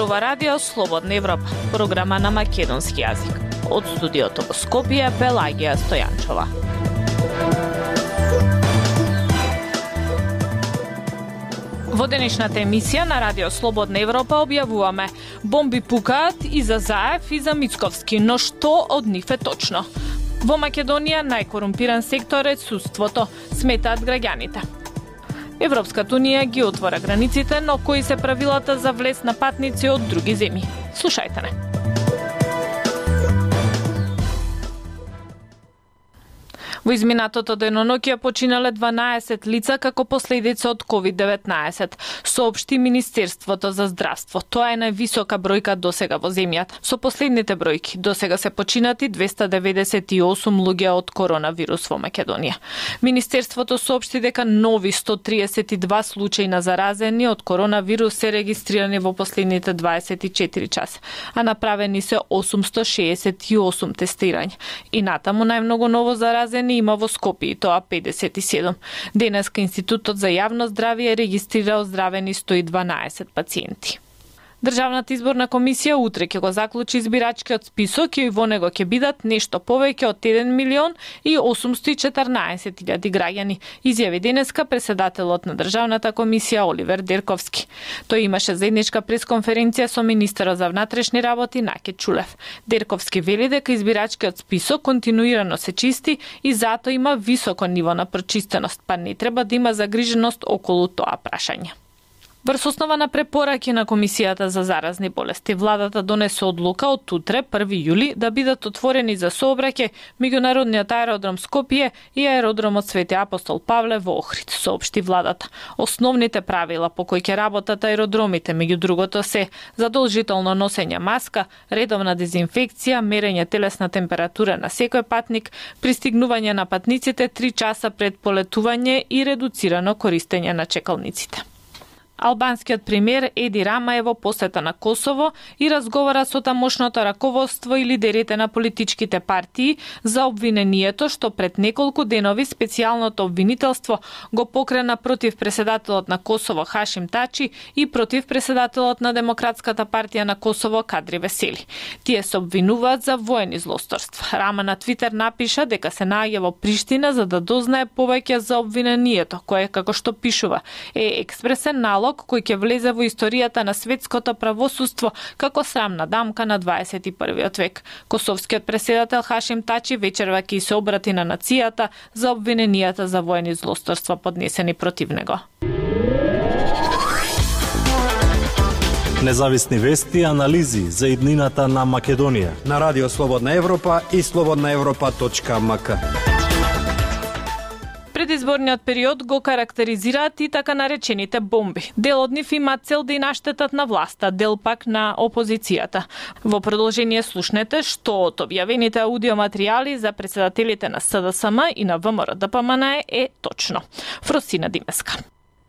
зборува Радио Слободна Европа, програма на македонски јазик. Од студиото во Скопје, Пелагија Стојанчова. Во денешната емисија на Радио Слободна Европа објавуваме: бомби пукаат и за Заев и за Мицковски, но што од нив е точно? Во Македонија најкорумпиран сектор е судството, сметаат граѓаните. Европската унија ги отвора границите, но кои се правилата за влез на патници од други земји? Слушајте не. Во изминатото деноноќе починале 12 лица како последица од COVID-19, соопшти Министерството за здравство. Тоа е највисока бројка досега во земјата. Со последните бројки досега се починати 298 луѓе од коронавирус во Македонија. Министерството соопшти дека нови 132 случаи на заразени од коронавирус се регистрирани во последните 24 часа, а направени се 868 тестирања. И натаму најмногу ново заразени има во Скопје, тоа 57. Денеска Институтот за јавно здравје регистрира оздравени 112 пациенти. Државната изборна комисија утре ќе го заклучи избирачкиот список и во него ќе бидат нешто повеќе од 1.814.000 граѓани, изјави денеска претседателот на Државната комисија Оливер Дерковски. Тој имаше заедничка пресконференција со министерот за внатрешни работи Наке Чулев. Дерковски вели дека избирачкиот список континуирано се чисти и затоа има високо ниво на прочистеност, па не треба да има загриженост околу тоа прашање. Врз основа на препораки на Комисијата за заразни болести, владата донесе одлука од утре, 1 јули, да бидат отворени за сообраќај меѓународниот аеродром Скопје и аеродромот Свети Апостол Павле во Охрид, соопшти владата. Основните правила по кои ќе работат аеродромите, меѓу другото се задолжително носење маска, редовна дезинфекција, мерење телесна температура на секој патник, пристигнување на патниците 3 часа пред полетување и редуцирано користење на чекалниците. Албанскиот премиер Еди Рама е во посета на Косово и разговара со тамошното раководство и лидерите на политичките партии за обвинението што пред неколку денови специјалното обвинителство го покрена против претседателот на Косово Хашим Тачи и против претседателот на Демократската партија на Косово Кадри Весели. Тие се обвинуваат за воени злосторства. Рама на Твитер напиша дека се наоѓа во Приштина за да дознае повеќе за обвинението, кое, како што пишува, е експресен налог кој ќе влезе во историјата на светското правосудство како срамна дамка на 21. век. Косовскиот претседател Хашим Тачи вечерва ќе се обрати на нацијата за обвиненијата за воени злосторства поднесени против него. Независни вести и анализи за иднината на Македонија на Радио Слободна Европа и slobodnaevropa.mk. Предизборниот период го карактеризираат и така наречените бомби. Дел од нив има цел да и наштетат на власта, дел пак на опозицијата. Во продолжение слушнете што од објавените аудиоматеријали за претседателите на СДСМ и на ВМРО-ДПМН е точно. Фросина Димеска.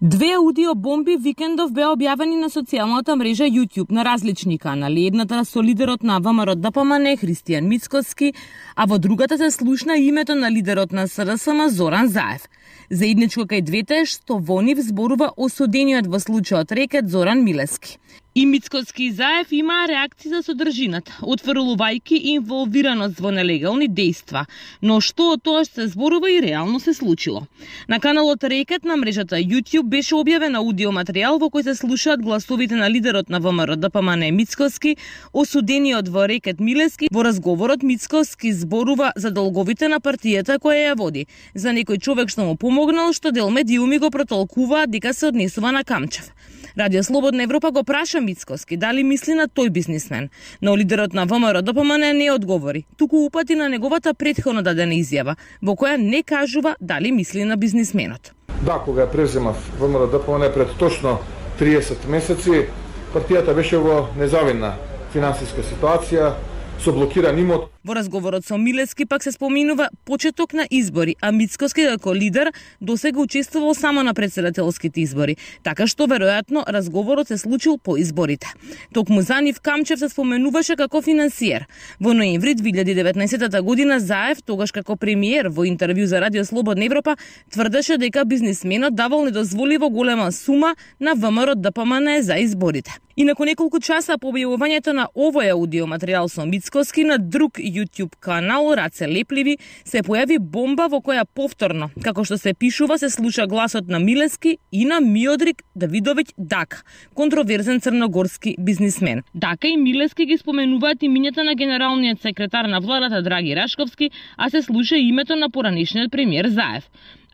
2 аудиобомби викендов беа објавени на социјалната мрежа YouTube на различни канали. Едната со лидерот на ВМРО-ДПМН Христијан Мицковски, а во другата се слушна името на лидерот на СДСМ Зоран Заев. Заедничко кај двете е што во нив зборува осудениот во случајот рекет Зоран Милески. И Мицковски и Заев имаа реакции за содржината, отфрлувајќи инволвираност во нелегални дејства, но што од тоа што се зборува и реално се случило. На каналот Рекет на мрежата YouTube беше објавен аудиоматеријал во кој се слушаат гласовите на лидерот на ВМРО-ДПМН Мицковски, осудениот во Рекет Милески. Во разговорот Мицковски зборува за долговите на партијата која ја води, за некој човек што му помогнал, што дел медиуми го протолкуваат дека се однесува на Камчев. Радио Слободна Европа го праша Мицковски дали мисли на тој бизнисмен, но лидерот на ВМРО-ДПМН не одговори, туку упати на неговата претходно дадена изјава, во која не кажува дали мисли на бизнисменот. Да, кога ја преземав ВМРО-ДПМН пред точно 30 месеци, партијата беше во незавидна финансиска ситуација, со блокиран имот. Во разговорот со Милески пак се споминува почеток на избори, а Мицковски како лидер досега учествувал само на претседателските избори, така што веројатно разговорот се случил по изборите. Токму за нив Камчев се споменуваше како финансиер. Во ноември 2019 година Заев, тогаш како премиер, во интервју за Радио Слободна Европа тврдеше дека бизнисменот давал недозволиво голема сума на ВМРО-ДПМН за изборите. И након неколку часа по објавувањето на овој аудиоматеријал со Мицкоски на друг YouTube канал Раце Лепливи се појави бомба во која повторно, како што се пишува, се слуша гласот на Милески и на Миодрик Давидовиќ Дака, контроверзен црногорски бизнисмен. Дака и Милески ги споменуваат имињата на генералниот секретар на владата Драги Рашковски, а се слуша името на поранешниот премиер Заев.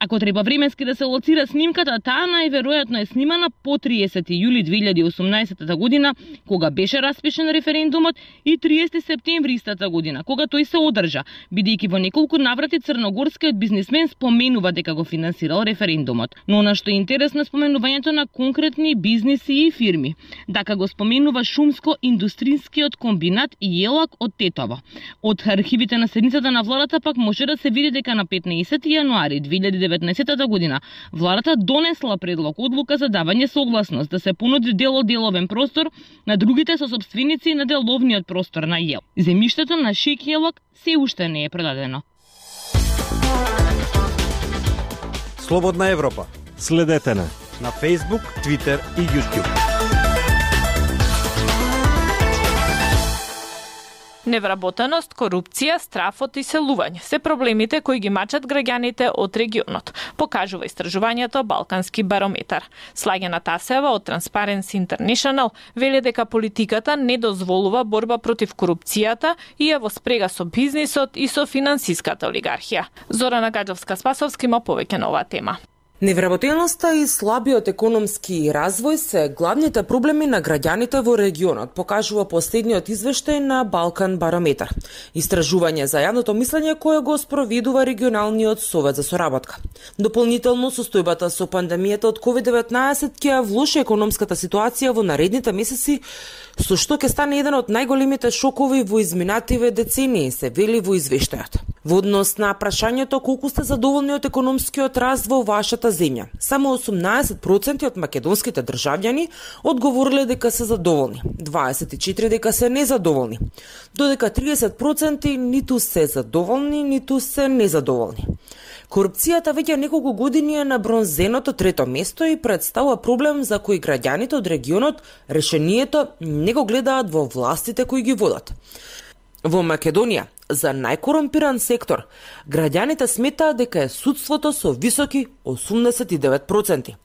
Ако треба временски да се лоцира снимката, таа најверојатно е снимана по 30 јули 2018 година, кога беше распишен референдумот, и 30 септември истата година, кога тој се одржа, бидејќи во неколку наврати црногорскиот бизнисмен споменува дека го финансирал референдумот. Но она што е интересно е споменувањето на конкретни бизниси и фирми. Дака го споменува шумско-индустрискиот комбинат Јелак од Тетово. Од архивите на седницата на владата пак може да се види дека на 15 јануари 2019 година владата донесла предлог одлука за давање согласност да се понуди деловен простор на другите сосопственици на деловниот простор на Јел. Земјиштето на Шик Јелак се уште не е продадено. Слободна Европа. Следете на Facebook, Twitter и YouTube. Невработеност, корупција, страф од иселување се проблемите кои ги мачат граѓаните од регионот, покажува истражувањето Балкански барометар. Слагена Тасева од Transparency International вели дека политиката не дозволува борба против корупцијата и е во спрега со бизнисот и со финансиската олигархија. Зорана Гаджовска-Спасовски има повеќе на оваа тема. Невработеноста и слабиот економски развој се главните проблеми на граѓаните во регионот, покажува последниот извештај на Балкан барометар. Истражување за јавното мислење кое го спроведува регионалниот совет за соработка. Дополнително, состојбата со пандемијата од COVID-19 ќе влоши економската ситуација во наредните месеци, со што ќе стане еден од најголемите шокови во изминативе децении, се вели во извештајот. Во однос на прашањето колку сте задоволни од економскиот раст во вашата земја, само 18% од македонските државјани одговориле дека се задоволни, 24% дека се незадоволни, додека 30% ниту се задоволни, ниту се незадоволни. Корупцијата веќе неколку години е на бронзеното трето место и представува проблем за кој граѓаните од регионот решението не го гледаат во властите кои ги водат. Во Македонија, за најкорумпиран сектор, граѓаните сметаат дека е судството со високи 89%.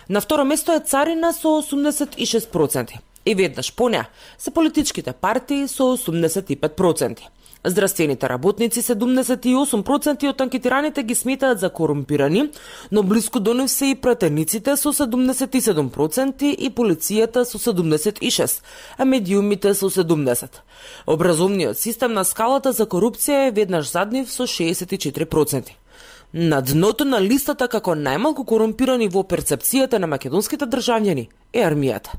На второ место е царина со 86%. И веднаш по неа се политичките партии со 85%. Здравствените работници 78% од анкетираните ги сметаат за корумпирани, но блиску до нив се и пратениците со 77% и полицијата со 76%, а медиумите со 70%. Образовниот систем на скалата за корупција е веднаш зад нив со 64%. На дното на листата како најмалку корумпирани во перцепцијата на македонските државјани е армијата.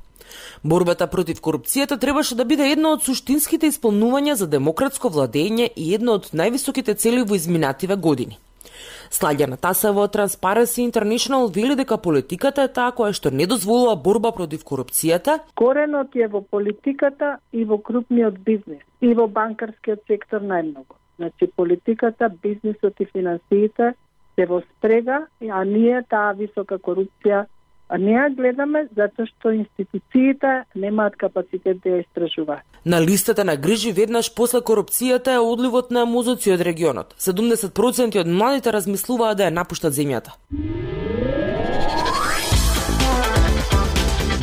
Борбата против корупцијата требаше да биде едно од суштинските исполнувања за демократско владење и едно од највисоките цели во изминативе години. Слагена Тасева од Transparency International вели дека политиката е таа која што не дозволува борба против корупцијата. Коренот е во политиката и во крупниот бизнис и во банкарскиот сектор најмногу. Значи политиката, бизнисот и финансиите се во спрега, а ние таа висока корупција не ја гледаме затоа што институциите немаат капацитет да ја истражуваат. На листата на грижи веднаш после корупцијата е одливот на мозоци од регионот. 70% од младите размислуваат да ја напуштат земјата.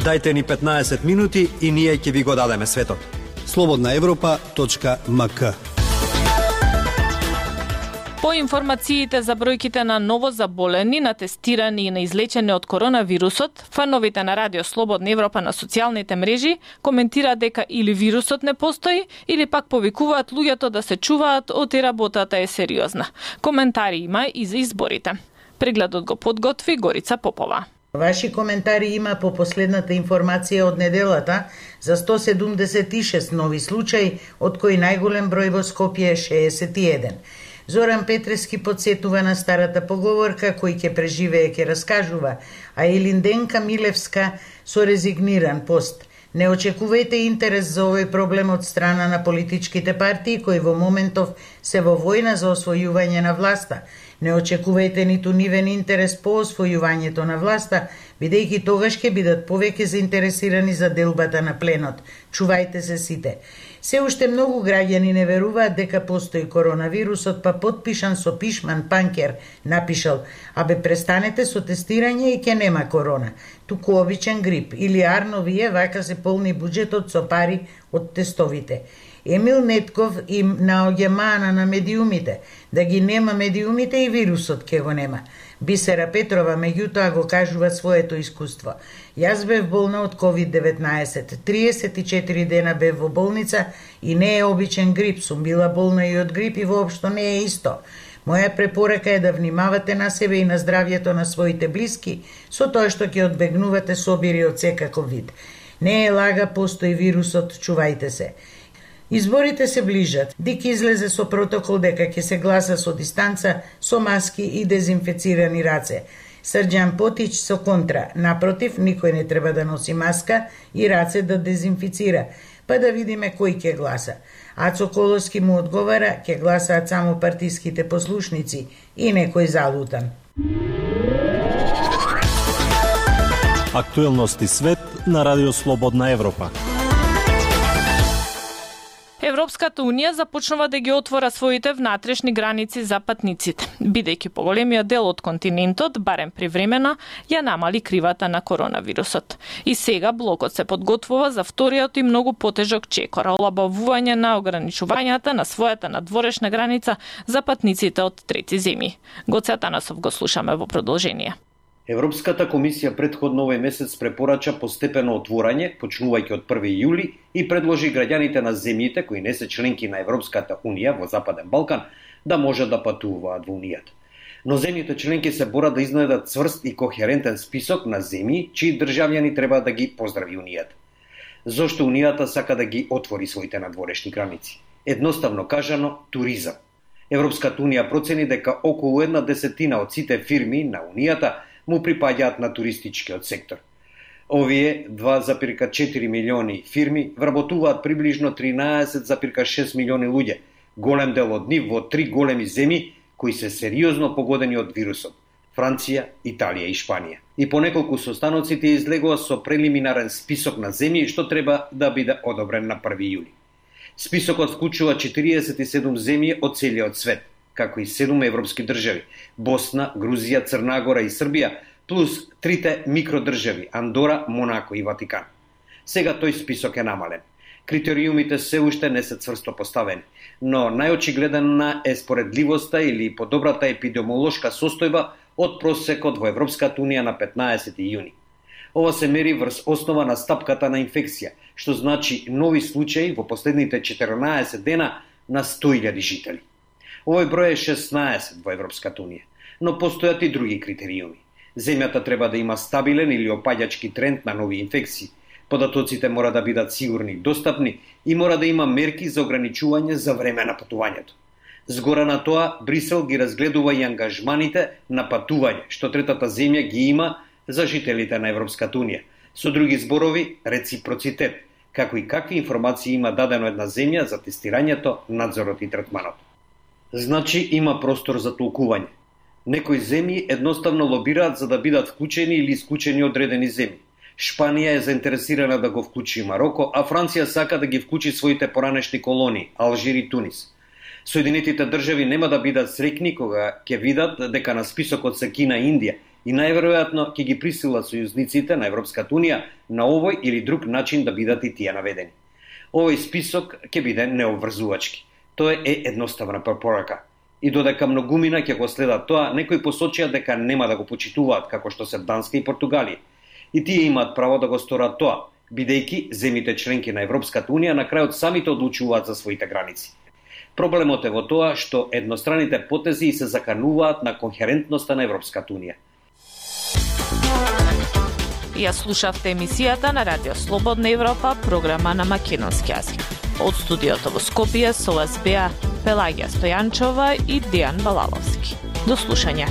Дајте ни 15 минути и ние ќе ви го дадеме светот. slobodnaevropa.mk. По информациите за бројките на ново заболени, на тестирани и на излечени од коронавирусот, фановите на Радио Слободна Европа на социјалните мрежи коментираат дека или вирусот не постои, или пак повикуваат луѓето да се чуваат од и работата е сериозна. Коментари има и за изборите. Прегледот го подготви Горица Попова. Ваши коментари има по последната информација од неделата за 176 нови случаи, од кои најголем број во Скопје е 61. Зоран Петрески подсетува на старата поговорка кој ќе преживее ќе раскажува, а Елинденка Милевска со резигниран пост. Не очекувајте интерес за овој проблем од страна на политичките партии кои во моментов се во војна за освојување на власта. Не очекувајте ниту нивен интерес по освојувањето на власта, бидејќи тогаш ќе бидат повеќе заинтересирани за делбата на пленот. Чувајте се сите. Се уште многу граѓани не веруваат дека постои коронавирусот, па потпишан со пишман Панкер напишал: "Абе престанете со тестирање и ќе нема корона. Туку обичен грип." Или Арновие вака се полни буџетот со пари од тестовите. Емил Нетков им наоѓа мана на медиумите. Да ги нема медиумите и вирусот ќе го нема. Бисера Петрова меѓутоа го кажува своето искуство. Јас бев болна од COVID-19. 34 дена бев во болница и не е обичен грип. Сум била болна и од грип и воопшто не е исто. Моја препорака е да внимавате на себе и на здравјето на своите блиски со тоа што ќе одбегнувате собири од секаков вид. Не е лага, постои вирусот, чувајте се. Изборите се ближат. ДИК излезе со протокол дека ќе се гласа со дистанца, со маски и дезинфецирани раце. Срđan Потич со контра. Напротив, никој не треба да носи маска и раце да дезинфицира. Па да видиме кој ќе гласа. Ацо Колоски му одговара, ќе гласаат само партиските послушници и некој залутан. Актуелности свет на Радио Слободна Европа. Европската унија започнува да ги отвора своите внатрешни граници за патниците, бидејќи поголемиот дел од континентот, барем привремено, ја намали кривата на коронавирусот. И сега блокот се подготвува за вториот и многу потежок чекор, олабавување на ограничувањата на својата надворешна граница за патниците од трети земји. Гоце Атанасов го слушаме во продолжение. Европската комисија претходно овој месец препорача постепено отворање, почнувајќи од 1 јули, и предложи граѓаните на земјите кои не се членки на Европската унија во Западен Балкан да можат да патуваат во унијата. Но земјите членки се борат да изнедат цврст и кохерентен список на земји чии државјани треба да ги поздрави унијата. Зошто унијата сака да ги отвори своите надворешни граници? Едноставно кажано, туризам. Европската унија процени дека околу 1/10 од сите фирми на унијата му припаѓаат на туристичкиот сектор. Овие 2,4 милиони фирми вработуваат приближно 13,6 милиони луѓе, голем дел од нив во 3 големи земји кои се сериозно погодени од вирусот: Франција, Италија и Шпанија. И по неколку состаноците излегува со прелиминарен список на земји што треба да биде одобрен на 1 јули. Списокот вклучува 47 земји од целиот свет, како и 7 европски држави: Босна, Грузија, Црна Гора и Србија, плюс 3 микродржави: Андора, Монако и Ватикан. Сега тој список е намален. Критериумите се уште не се цврсто поставени, но најочигледна е споредливоста или подобрата епидемиолошка состојба од просекот во Европската унија на 15 јуни. Ова се мери врз основа на стапката на инфекција, што значи нови случаи во последните 14 дена на 100.000 жители. Овој број е 16 во Европската унија, но постојат и други критериуми. Земјата треба да има стабилен или опаѓачки тренд на нови инфекции. Податоците мора да бидат сигурни и достапни и мора да има мерки за ограничување за време на патувањето. Згора на тоа, Брисел ги разгледува и ангажманите на патување, што третата земја ги има за жителите на Европската унија. Со други зборови, реципроцитет, како и какви информации има дадено една земја за тестирањето, надзорот и третманот. Значи има простор за толкување. Некои земји едноставно лобираат за да бидат вклучени или исклучени одредени земји. Шпанија е заинтересирана да го вклучи Мароко, а Франција сака да ги вклучи своите поранешни колонии, Алжир и Тунис. Соединетите држави нема да бидат среќни кога ќе видат дека на списокот се Кина и Индија и најверојатно ќе ги присилат сојузниците на Европската унија на овој или друг начин да бидат и тие наведени. Овој список ќе биде необврзувачки. Тоа е едноставна препорака. И додека многумина ќе го следат тоа, некои посочија дека нема да го почитуваат, како што се Данска и Португалија. И тие имаат право да го сторат тоа, бидејќи земјите членки на Европската унија на крајот самите одлучуваат за своите граници. Проблемот е во тоа што едностраните потези се закануваат на кохерентноста на Европската унија. Ја слушавте емисијата на Радио Слободна Европа, програма на македонски јазик. Од студиото во Скопје со вас беа Пелагија Стојанчова и Дејан Балаловски. До слушање.